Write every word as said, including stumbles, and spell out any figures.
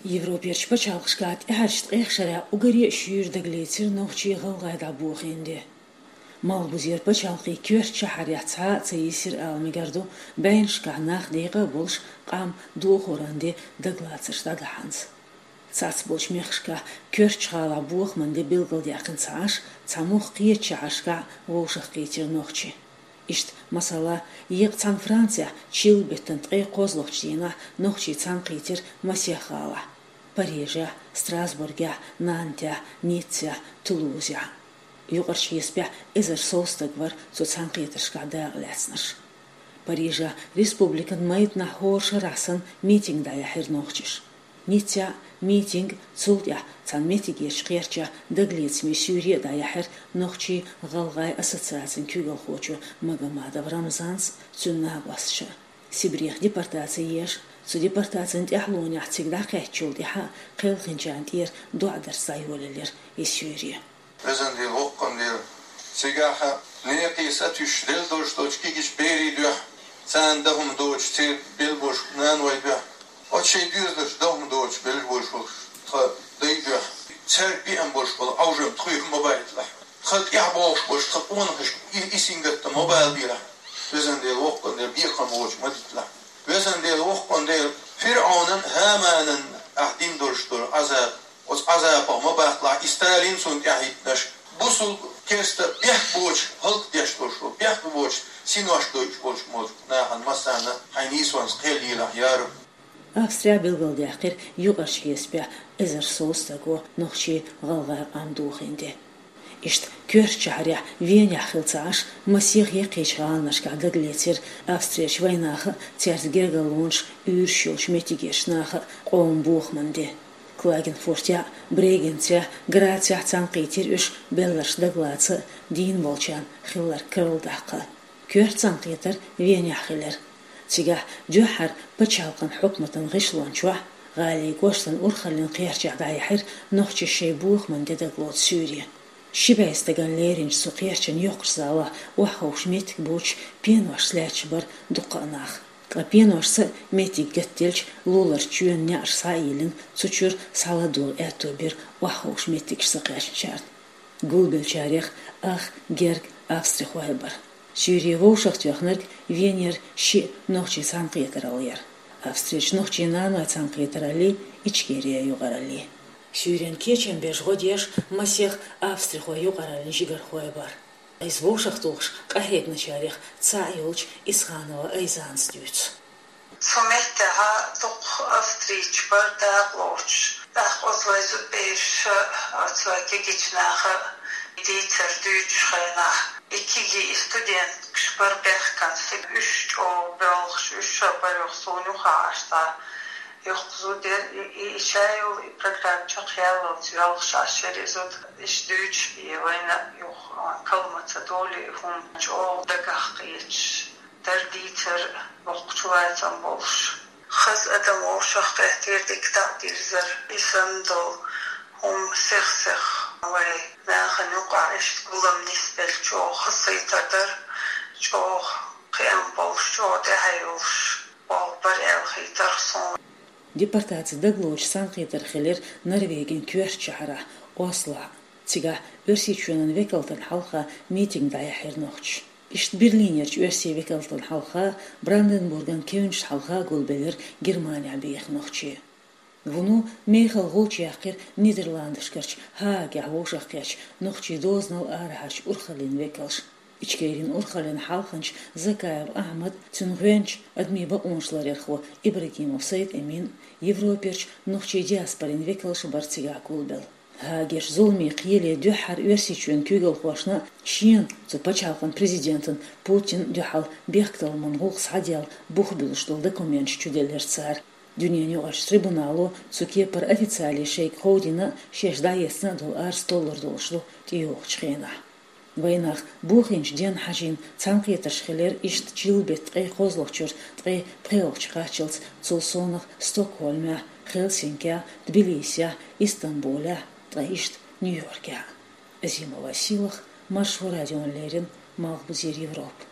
Европерчу пачхьалкхашкахь тӀаьхьарчу ткъех шарахь уггаре а шуьйра дагалецира нохчий-гӀалгӀай дӀабохийна де. Малхбузера пачхьалкхе коьртачу шахьарехь цхьа а ца йисира ала мегар ду, бӀеннашкахь нах декъа а болуш, къам дохоран де дагалацарш дӀадахьанза. Цхьацболчу мехкашкахь коьртачу гӀалахь бохаман де билгалдаьккхина ца Ӏаш, цхьа муьлхха кхечу шахьаршкахь вовшахкхийтира нохчий. Иштта, масала, еккъа цхьана Францехь чиллан-беттан ткъе кхозлагӀчу дийнахь нохчий цхьаьнакхийтира масех гӀалахь: Парижехь, Страсбургехь, Нантехь, Ниццехь, Тулузехь. Юкъарчу хьесапехь эзар сов стаг вара цу цхьаьнакхетаршкахь дакъалаьцнарш. Парижехь республикан майданахь хӀора шарахь санна митинг дӀаяьхьира нохчаша. Ниццехь митинг, цул тӀаьхьа цхьана меттигерчу кхерчехь дагалецамийн суьйре а дӀаяьхьира нохчий-гӀалгӀай ассоциацин куьйгалхочо Магомадов Рамзанца, цуьнан накъосташа. Сибрех депортаци еш, цу депортацин тӀаьхьалонехь цига дӀакхаьчначул тӀаьхьа кхелхинчарна тӀера доӀа дарца дӀайолаелира и суьйре. Везан Дела, воккхан Дела, цигахь некъий сатуьйсуш делла долуш долчу кегийчу берийн дуьхьа, царна дан хӀума доцуш, церан белла болуш наной дуьхьа, оцу шайн доьзалш дан хӀума доцуш белла болуш болу тхан дай дуьхьа, цаьрга беана болуш болу Ӏовжам тхоьга ма байталахь. Тхан тӀаьхьа богӀуш болчу тхан къонахашка и, и сингаттам ма балабелахь. Везан Дела, воккхан Дела, бекхам боцуш ма диталахь. Везан Дела, воккхан Дела, ФирӀавнан, ХӀаманан ахь дина долуш долу Ӏазаб, оцу Ӏазапах ма батталахь и Сталин, цунна тӀаьхьахӀиттинарш, бусулба, керста бехк боцуш хӀаллакдеш долуш долу, бехк боцуш синош дойтуш болчу молу нахана массарна хьайн нийсонца кхел елахь, я Рабби. Австрехь билгалдаьккхира юкъарчу хьесапехь эзар сов стага нохчий-гӀалгӀай къам дохийна де. Иштта коьртачу шахьарехь Венехь хилла ца Ӏаш, масех яккхийчу гӀаланашкахь дагалецира Австрерчу вайнаха а, цаьрца гергарлонаш, уьйраш йолчу меттигерчу наха а къоман бохаман де. Клагенфуртехь а, Брегенцехь а, Грацехь а цхьаьнакхийтира уьш, белларш дагалаца а, дийна болчарна хилларг карладаккха а. Коьрта цхьаьнакхетар Венехь хилира. Цигахь дуьххьара пачхьалкхан хьукматан гӀишлон чохь, гӀалин кӀоштан урхаллин кхерчехь дӀаяьхьира нохчаша шайн бохаман де дагалоцу суьйре. Ши бӀе стагана леринчу цу кхерчан йоккхачу залахь охьаховша меттиг боцуш пеношца лаьтташ бара дуккха а нах. Ткъа пеношца а меттиг гатделча, луларчу чоьнан неӀарш схьа а йиллина, цу чуьра схьаладогӀа аьтто бира охьаховша меттигаш ца кхаьчначарна. Гулбеллачарех ах герга австрихой бара. Суьйре вовшахтоьхнарг Венера шиъ нохчийн цхьаьнакхетаралла яра. Австрерчу нохчийн наной цхьаьнакхетараллий, Ичкерин юкъараллий. Суьйренан кечам беш гӀо деш масех австрихой юкъараллин жигархой бара. Иза вовшахтухуш къахьегначарех цхьаъ йолчу Исханова Айзанас дуьйцу. Цу меттехь дукха австрийцаш бара дакъалоцуш. ТӀаккха оцу вайн зудбераш а, оцу вайн кегийчу наха а дийцар дуьйцучу хенахь, и кегий, и студенткаш бара бехкана, уьш чӀогӀа боьлхуш, уьш а бара юха суна юххехь Ӏаш цхьа йоккха зуда яра, и, и, и шайолу и программа чекхъяллалц йоьлхуш Ӏаш яра и зуда, иштта дуьйцуш бен вайна юха калма ца долий, и хӀума чӀогӀа дагах кхеташ дара дийцар, боккхачу лацам болуш. Хаза адам вовшахкхеттера, дика дӀадирзара. И санна долу хӀума сих-сиха вайн нахана юкъахь иштта гулам нисбелча чӀогӀа хазахетар дара, чӀогӀа кхиам болуш, чӀогӀа тӀаьхье йолуш болу бара аьлла хийтар суна. Депортаци дагалоцуш цхьаьнакхетар хилира Норвегин коьртачу шахьарахь, Ослохь. Цигахь Оьрсийчоьнан векалтан хьалха митинг дӀаяьхьира нохчаша. Иштта Берлинерчу оьрсийн векалтан хьалха, Бранденбурган кевнашна хьалха гулбеллира Германехь беха нохчий. Вуно мехала гӀулч яьккхира Нидерландашкарчу Гаагехь вовшахкхеттачу нохчийн дозанал арахьарчу урхаллин векалша. Ичкерин урхаллин хьалханча Закаев Ахьмад, цуьнан гӀоьнча, адамийн бакъонаш ларъярхо Ибрагимов Сайд-Эмин, Европерчу нохчийн диаспорин векалша бара цигахь гулбелла. Гаагерчу зуламийн кхеле дуьххьара Оьрсийчоьнан куьйгалхошна а, шена цу пачхьалкхан президентан Путинна а дуьхьал бехктакхаман гӀуллакх схьаделла бух буьллуш долу документаш чуделлира цара. Дуьненан юкъарчу трибунало цу кепара официале шайга кховдийна а, шаьш дӀаэцна а долу арз толлур долуш ду тӀейогӀучу хенахь. Вайнах бохийначу денна хьажийна цхьаьнакхетарш хилира иштта чиллан-беттан ткъе кхозлагӀчуьра ткъе пхоьалгӀачу кхаччалц, цул совнаха Стокгольмехь, Хельсинкехь, Тбилисехь, Истамбулехь, ткъа иштта Нью-Йоркехь. Азимова Сийлаха, Маршо радиона леррина, Малхбузера Европа.